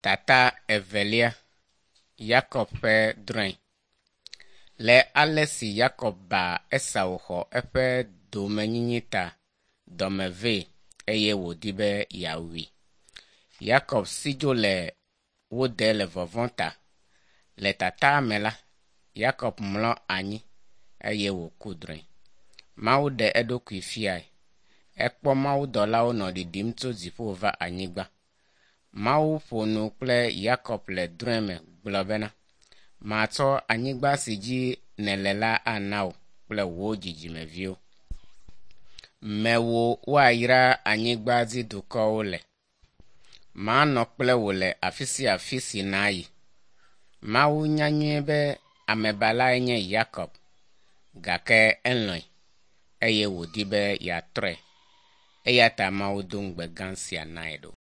Tata evelia. Yakob ƒe drɔ̃e. Le ale si Yakob ba Esau xɔ eƒe domenyinyi ta, dɔme vee eye wòdi be yeawui. Yakob si dzo le wo de le vɔvɔ̃ ta. Le tata me la, Yakob mlɔ anyi eye wòku drɔ̃e. Mawu ɖe eɖokui fiae. Ekpɔ mawudɔlawo nɔ ɖiɖim tso dziƒo va anyigba. Mawu ƒo nu kple Yakob le drɔ̃e me gblɔ bena, matsɔ anyigba si dzi nèle la ana wò kple wò dzidzimeviwo. Mewò woayra anyigba dzi dukɔwo le. Manɔ kple wò le afi sia afi si nàyi. Mawu nya nyuie be amebalae nye Yakob, gake elɔ̃e eye wòdi be yeatrɔe. Eya ta Mawu do ŋugbe gã sia nae ɖo.